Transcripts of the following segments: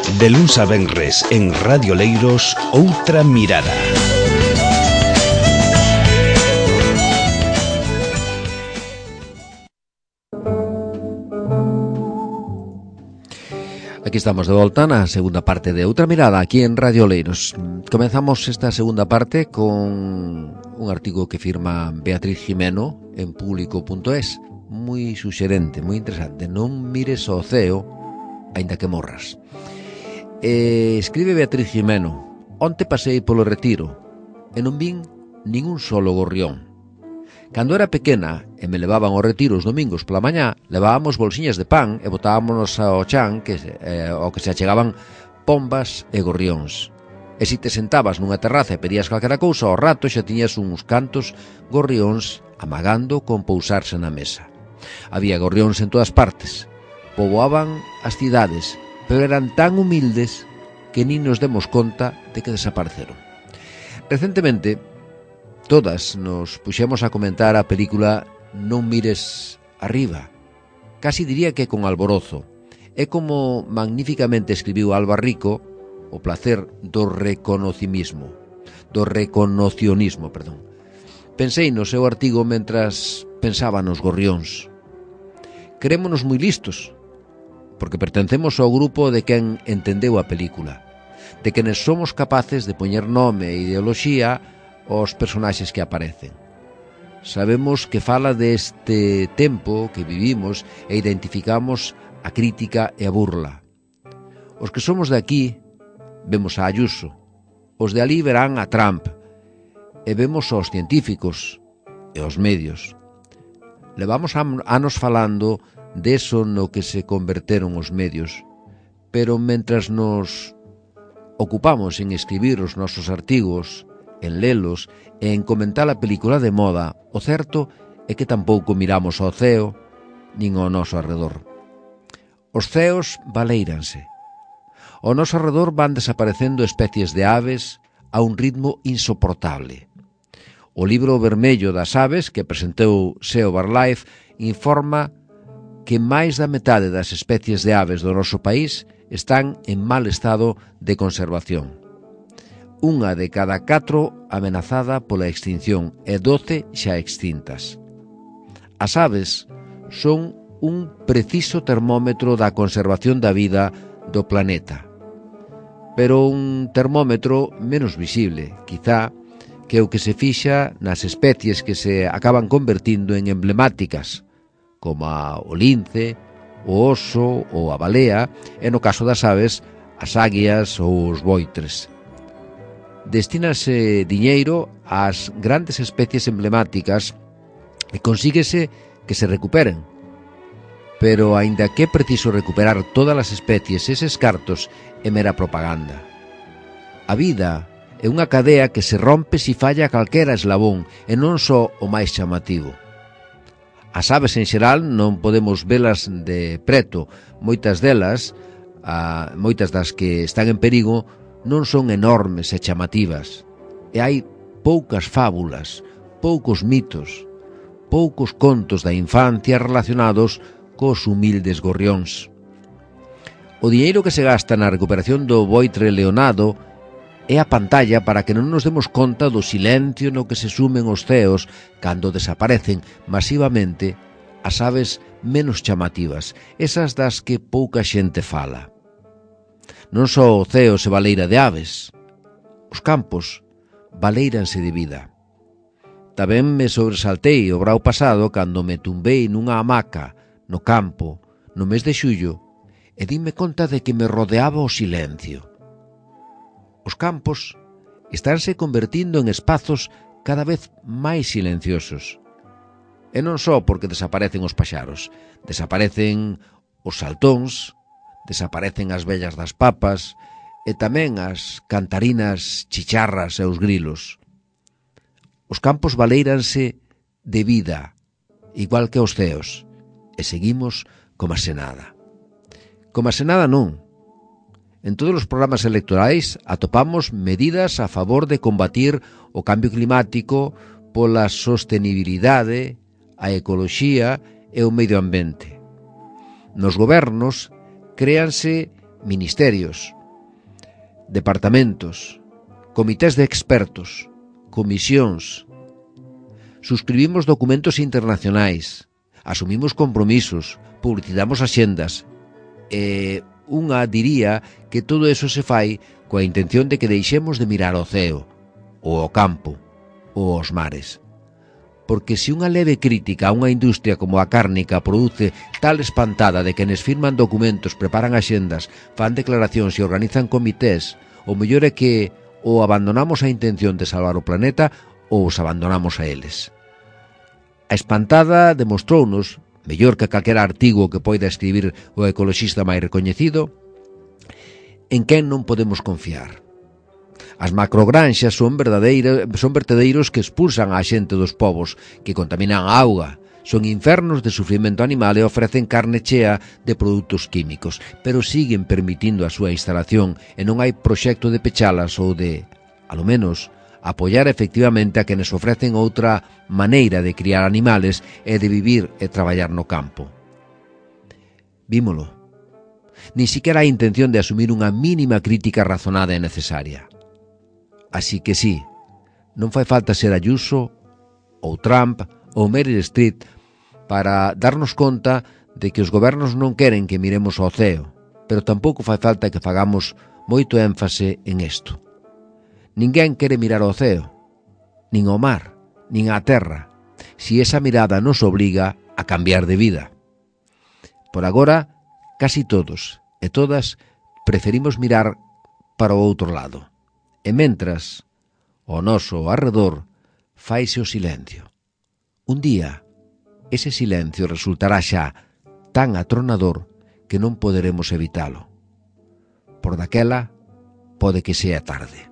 De luns a venres en Radio Leiros, Outra Mirada. Aquí estamos de volta na segunda parte de Outra Mirada aquí en Radio Leiros. Comenzamos esta segunda parte con un artigo que firma Beatriz Jimeno en público.es, moi suxerente, moi interesante. Non mires ao ceo aínda que morras. Escribe Beatriz Jimeno: onte pasei polo Retiro e non vin ningún solo gorrión. Cando era pequena e me levaban ao Retiro os domingos pola mañá, levábamos bolsiñas de pan e botábamos ao chan ao que se achegaban pombas e gorrións. E se te sentabas nunha terraza e pedías calquera cousa, ao rato xa tiñas uns cantos gorrións amagando con pousarse na mesa. Había gorrións en todas partes, poboaban as cidades, pero eran tan humildes que nin nos demos conta de que desapareceron. Recentemente, todas nos puxemos a comentar a película Non mires arriba. Casi diría que con alborozo. É como magníficamente escribiu Alba Rico o placer do reconocionismo. Pensei no seu artigo mentras pensaba nos gorrións. Creémonos moi listos, porque pertencemos ao grupo de quen entendeu a película, de quenes somos capaces de poñer nome e ideoloxía os personaxes que aparecen. Sabemos que fala deste tempo que vivimos e identificamos a crítica e a burla. Os que somos de aquí vemos a Ayuso, os de ali verán a Trump e vemos aos científicos e aos medios. Levamos anos falando deso no que se converteron os medios, pero mentras nos ocupamos en escribir os nosos artigos, en lelos e en comentar a película de moda, o certo é que tampouco miramos ao ceo nin ao noso arredor. Os ceos baléiranse. Ao noso arredor van desaparecendo especies de aves a un ritmo insoportable. O libro vermello das aves que presentou SEO BirdLife informa que máis da metade das especies de aves do noso país están en mal estado de conservación. Unha de cada 4 amenazada pola extinción e 12 xa extintas. As aves son un preciso termómetro da conservación da vida do planeta, pero un termómetro menos visible, quizá, que o que se fixa nas especies que se acaban convertindo en emblemáticas, como o lince, o oso ou a balea, e no caso das aves, as águias ou os voitres. Destínase diñeiro ás grandes especies emblemáticas e consíguese que se recuperen. Pero, aínda que é preciso recuperar todas as especies, eses cartos é mera propaganda. A vida é unha cadea que se rompe se falla calquera eslabón e non só o máis chamativo. As aves en xeral non podemos velas de preto. Moitas delas, moitas das que están en perigo, non son enormes e chamativas. E hai poucas fábulas, poucos mitos, poucos contos da infancia relacionados cos humildes gorrións. O diñeiro que se gasta na recuperación do voitre leonado é a pantalla para que non nos demos conta do silencio no que se sumen os ceos cando desaparecen masivamente as aves menos chamativas, esas das que pouca xente fala. Non só o ceo se baleira de aves, os campos baleiranse de vida. Tamén me sobresaltei o brao pasado cando me tumbei nunha hamaca no campo no mes de xullo e dime conta de que me rodeaba o silencio. Os campos estánse convertindo en espazos cada vez máis silenciosos. E non só porque desaparecen os paxaros, desaparecen os saltóns, desaparecen as vellas das papas e tamén as cantarinas chicharras e os grilos. Os campos baleiranse de vida, igual que os ceos, e seguimos como se nada. Como se nada non. En todos os programas electorais atopamos medidas a favor de combatir o cambio climático pola sostenibilidade, a ecoloxía e o medio ambiente. Nos gobernos créanse ministerios, departamentos, comités de expertos, comisións. Suscribimos documentos internacionais, asumimos compromisos, publicitamos axendas. Unha diría que todo eso se fai coa intención de que deixemos de mirar ao ceo, ou ao campo, ou aos mares. Porque se unha leve crítica a unha industria como a cárnica produce tal espantada de quenes firman documentos, preparan axendas, fan declaracións e organizan comités, o mellor é que ou abandonamos a intención de salvar o planeta ou os abandonamos a eles. A espantada demostrounos, mellor que calquera artigo que poida escribir o ecoloxista máis recoñecido, en quen non podemos confiar. As macrogranxas son vertedeiros que expulsan a xente dos povos, que contaminan a auga, son infernos de sufrimento animal e ofrecen carne chea de produtos químicos, pero siguen permitindo a súa instalación e non hai proxecto de pechalas ou de, alo menos, apoiar efectivamente a quenes ofrecen outra maneira de criar animales e de vivir e traballar no campo. Vímolo. Ni siquiera hai intención de asumir unha mínima crítica razonada e necesaria. Así que sí, non fai falta ser Ayuso, ou Trump, ou Meryl Streep para darnos conta de que os gobernos non queren que miremos ao ceo, pero tampouco fai falta que fagamos moito énfase en isto. Ninguén quere mirar ao ceo, nin ao mar, nin á terra, si esa mirada nos obriga a cambiar de vida. Por agora, casi todos e todas preferimos mirar para o outro lado. E mentras, ao noso arredor, faise o silencio. Un día, ese silencio resultará xa tan atronador que non poderemos evitalo. Por daquela, pode que sea tarde.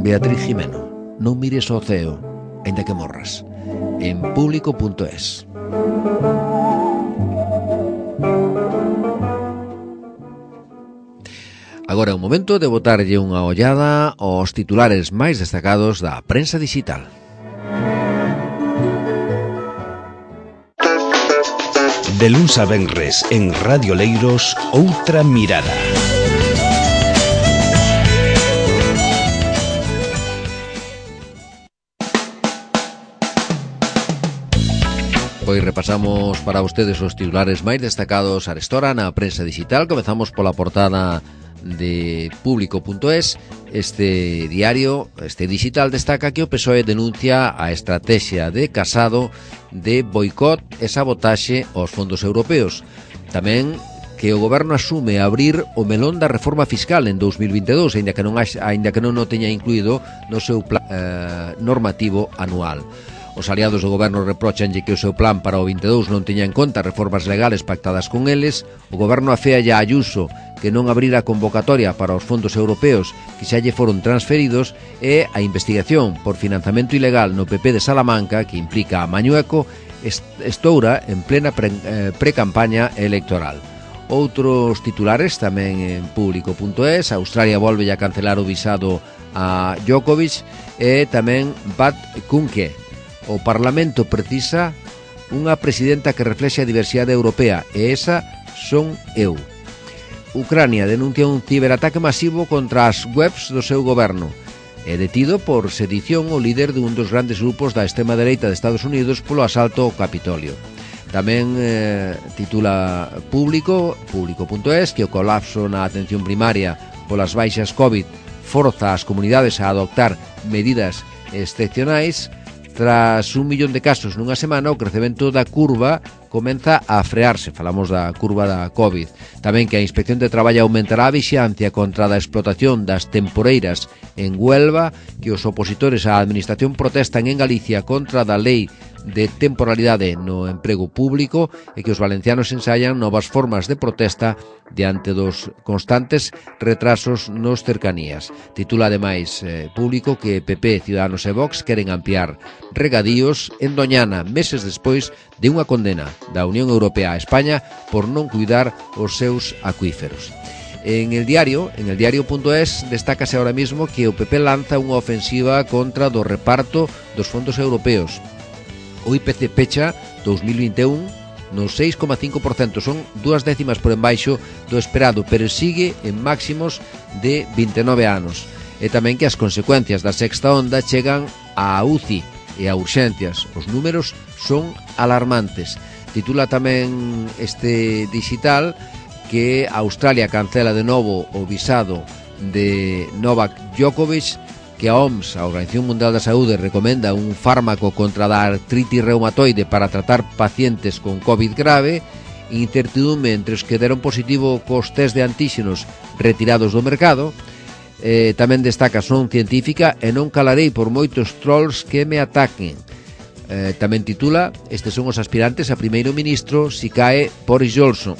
Beatriz Jimeno, non mires ao ceo, aínda que morras. En público.es. Agora é o momento de botarlle unha ollada aos titulares máis destacados da prensa digital. De luns a venres en Radio Leiros, Outra Mirada. Pois repasamos para vostedes os titulares máis destacados arestora na prensa digital. Comezamos pola portada de público.es. Este diario, este digital, destaca que o PSOE denuncia a estrategia de Casado de boicot e sabotaxe aos fondos europeos. Tamén que o goberno asume abrir o melón da reforma fiscal en 2022, aínda que non o teña incluído no seu plan normativo anual. Os aliados do goberno reprochanlle que o seu plan para o 22 non teña en conta reformas legales pactadas con eles. O goberno aféalle a Ayuso que non abrira a convocatoria para os fondos europeos que xa lle foron transferidos, e a investigación por financiamento ilegal no PP de Salamanca, que implica a Mañueco, estoura en plena pre-campaña electoral. Outros titulares tamén en público.es. Australia volve a cancelar o visado a Djokovic, e tamén Bat Kunke. O Parlamento precisa unha presidenta que reflexe a diversidade europea, e esa son eu. Ucrania denuncia un ciberataque masivo contra as webs do seu goberno. É detido por sedición o líder dun dos grandes grupos da extrema dereita de Estados Unidos polo asalto ao Capitolio. Tamén titula público.es que o colapso na atención primaria polas baixas COVID forza as comunidades a adoptar medidas excepcionais. Tras 1 millón de casos nunha semana, o crecemento da curva comeza a frearse. Falamos da curva da COVID. Tamén que a Inspección de Traballo aumentará a vixiancia contra a explotación das temporeiras en Huelva, que os opositores á administración protestan en Galicia contra da lei de temporalidade no emprego público, e que os valencianos ensaian novas formas de protesta diante dos constantes retrasos nos cercanías. Titula ademais Público que PP, Ciudadanos e Vox queren ampliar regadíos en Doñana meses despois de unha condena da Unión Europea a España por non cuidar os seus acuíferos. En el diario.es destácase ahora mismo que o PP lanza unha ofensiva contra do reparto dos fondos europeos. O IPC pecha 2021 no 6,5%, son 2 décimas por embaixo do esperado, pero sigue en máximos de 29 anos. E tamén que as consecuencias da sexta onda chegan á UCI e a urxencias. Os números son alarmantes. Titula tamén este digital que Australia cancela de novo o visado de Novak Djokovic, que a OMS, a Organización Mundial da Saúde, recomenda un fármaco contra a artritis reumatoide para tratar pacientes con COVID grave, incertidume entre os que deron positivo cos test de antíxenos retirados do mercado. Tamén destaca son científica e non calarei por moitos trolls que me ataquen. Tamén titula, estes son os aspirantes a primeiro ministro si cae Boris Johnson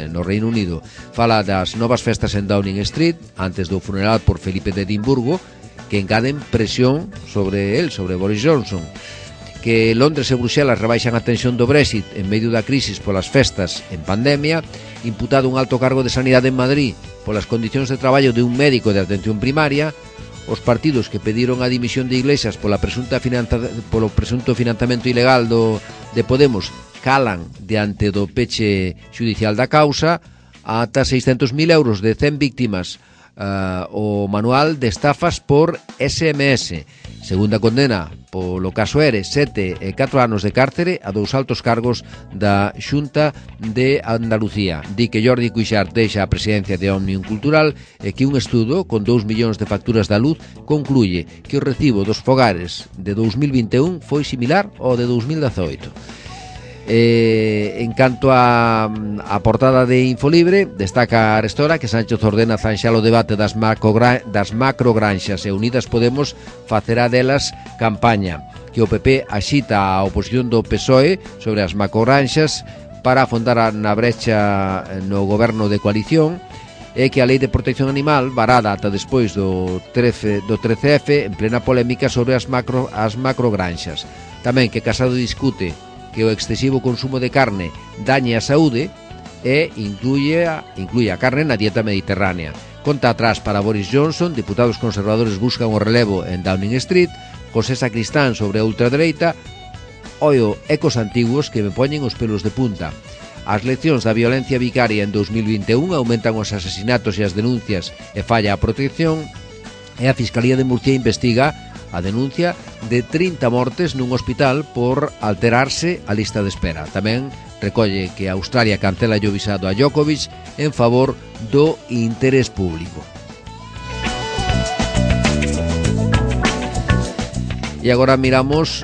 no Reino Unido. Fala das novas festas en Downing Street antes do funeral por Felipe de Edimburgo, que engaden presión sobre Boris Johnson. Que Londres e Bruxelas rebaixan a tensión do Brexit en medio da crisis polas festas en pandemia. Imputado un alto cargo de sanidade en Madrid polas condicións de traballo de un médico de atención primaria. Os partidos que pediron a dimisión de Iglesias polo presunto financiamento ilegal de Podemos calan diante do peche judicial da causa. Ata 600.000 euros de 100 víctimas o manual de estafas por SMS. Segunda condena polo caso ERE, 7 e 4 anos de cárcere a 2 altos cargos da Xunta de Andalucía. Di que Jordi Cuixart deixa a presidencia de Òmnium Cultural e que un estudo con 2 millóns de facturas da luz concluye que o recibo dos fogares de 2021 foi similar ao de 2018. En canto a portada de Infolibre, destaca Arestora que Sánchez ordena zanxar o debate das macrogranxas e Unidas Podemos facerá delas campaña. Que o PP axita a oposición do PSOE sobre as macrogranxas para afondar na brecha no goberno de coalición, e que a Lei de Protección Animal, varada ata despois do 13F, en plena polémica sobre as macrogranxas. Tamén que Casado discute que o excesivo consumo de carne dañe a saúde e incluye a carne na dieta mediterránea. Conta atrás para Boris Johnson, diputados conservadores buscan o relevo en Downing Street. José Sacristán sobre a ultradereita. Oio, ecos antiguos que me poñen os pelos de punta. As leccións da violencia vicaria en 2021 aumentan os asesinatos e as denuncias e falla a protección, e a Fiscalía de Murcia investiga a denuncia de 30 mortes nun hospital por alterarse a lista de espera. Tamén recolle que Australia cancela o visado a Djokovic en favor do interés público. E agora miramos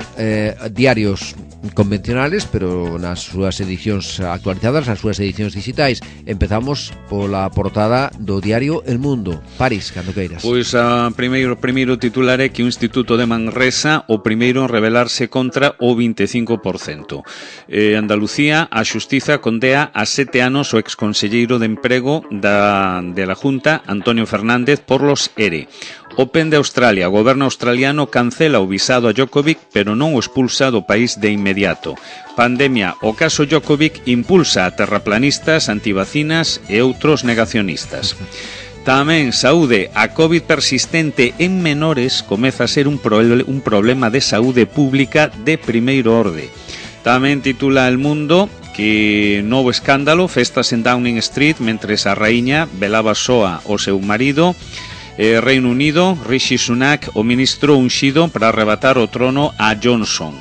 diarios convencionales, pero nas súas edicións actualizadas, nas súas edicións digitais. Empezamos pola portada do diario El Mundo. París, cando queiras. Pois primeiro titular é que o Instituto de Manresa o primeiro en rebelarse contra o 25%. Andalucía, a Xustiza condea a 7 anos o exconselleiro de Emprego de la Junta, Antonio Fernández, por los ERE. Open de Australia, o goberno australiano cancela o visado a Djokovic, pero non o expulsa do país de inmediato. Pandemia, o caso Djokovic impulsa a terraplanistas, antivacinas e outros negacionistas. Tamén saúde, a COVID persistente en menores comeza a ser un problema de saúde pública de primeiro orde. Tamén titula El Mundo que novo escándalo, festas en Downing Street mentres a raíña velaba soa o seu marido. Reino Unido, Rishi Sunak, o ministro unxido para arrebatar o trono a Johnson.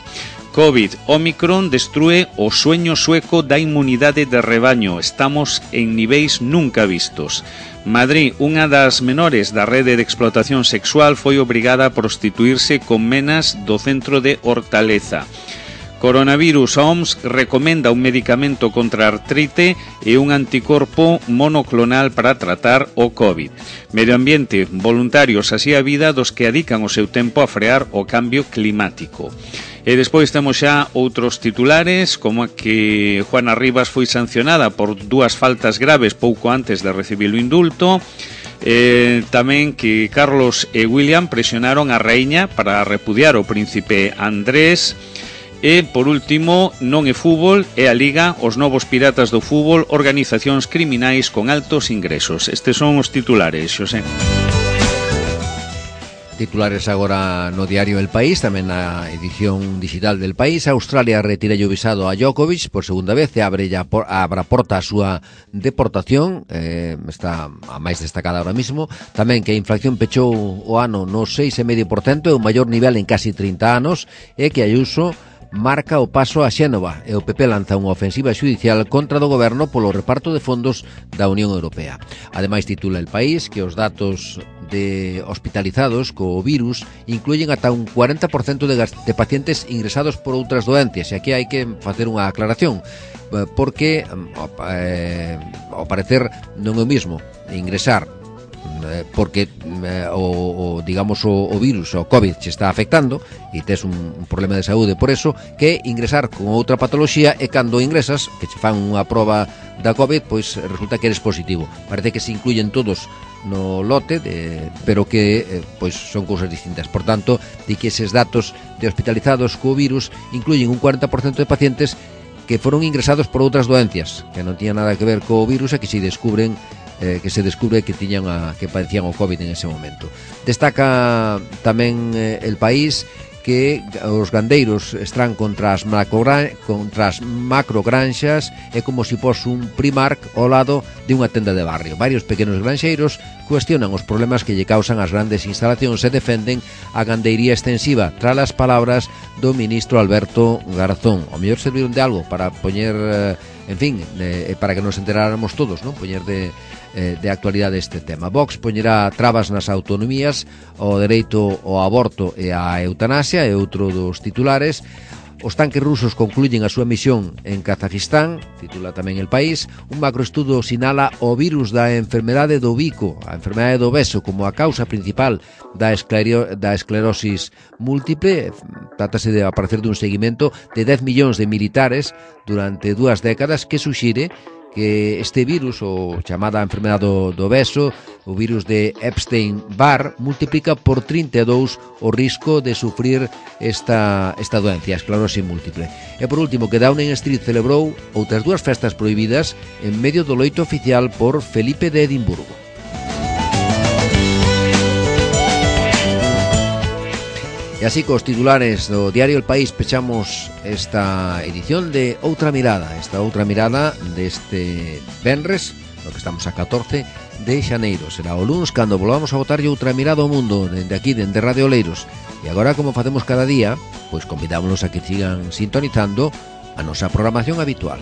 COVID, Omicron destrúe o sueño sueco da inmunidade de rebaño. Estamos en niveis nunca vistos. Madrid, unha das menores da rede de explotación sexual, foi obrigada a prostituirse con menas do centro de Hortaleza. Coronavirus, a OMS recomenda un medicamento contra a artrite e un anticorpo monoclonal para tratar o COVID. Medio ambiente, voluntarios así a vida dos que adican o seu tempo a frear o cambio climático. E despois temos xa outros titulares, como que Juana Rivas foi sancionada por 2 faltas graves pouco antes de recibir o indulto. Tamén que Carlos e William presionaron a raíña para repudiar o príncipe Andrés. E, por último, non é fútbol, é a Liga, os novos piratas do fútbol, organizacións criminais con altos ingresos. Estes son os titulares, Xosé. Titulares agora no diario El País, tamén na edición digital del País. Australia retira o visado a Djokovic por segunda vez e abre porta a súa deportación, está a máis destacada ahora mismo. Tamén que a inflación pechou o ano no 6,5%, é o maior nivel en casi 30 anos, e que Ayuso marca o paso a Xénova e o PP lanza unha ofensiva xudicial contra do goberno polo reparto de fondos da Unión Europea. Ademais, titula El País que os datos de hospitalizados co virus incluyen ata un 40% de pacientes ingresados por outras doencias, e aquí hai que facer unha aclaración, porque ao parecer non é o mismo ingresar porque digamos o virus, o COVID se está afectando e tes un problema de saúde por eso, que ingresar con outra patoloxía, e cando ingresas, que se fan unha proba da COVID, pois resulta que eres positivo. Parece que se incluyen todos no lote, pero que pois son cousas distintas. Por tanto, di que eses datos de hospitalizados co virus incluyen un 40% de pacientes que foron ingresados por outras doencias que non tiñan nada que ver co virus e que se descubre que padecían o COVID en ese momento. Destaca tamén El País que os gandeiros están contra as macrogranxas, é como se pos un Primark ao lado de unha tenda de barrio. Varios pequenos granxeiros cuestionan os problemas que lle causan as grandes instalacións e defenden a gandeiría extensiva tras as palabras do ministro Alberto Garzón. O mellor serviron de algo para poñer, para que nos enteráramos todos, non? Poñer de actualidade este tema. Vox poñerá trabas nas autonomías, o dereito ao aborto e á eutanasia, é outro dos titulares. Os tanques rusos concluyen a súa misión en Kazajistán, titula tamén El País. Un macroestudo sinala o virus da enfermedade do bico, a enfermedade do beso, como a causa principal da esclerosis múltiple. Trátase de aparecer dun seguimento de 10 millóns de militares durante 2 décadas que suxire que este virus, o chamada enfermedade do beso, o virus de Epstein-Barr, multiplica por 32 o risco de sufrir esta doencia, a esclerosis múltiple. E por último, que Downing Street celebrou outras 2 festas prohibidas en medio do loito oficial por Felipe de Edimburgo. E así, cos titulares do diario El País, pechamos esta edición de Outra Mirada, deste venres, no que estamos a 14 de xaneiro. Será o luns cando volvamos a botarlle outra mirada ao mundo dende aquí, dende Radio Oleiros. E agora, como facemos cada día, pois convidámonos a que sigan sintonizando a nosa programación habitual.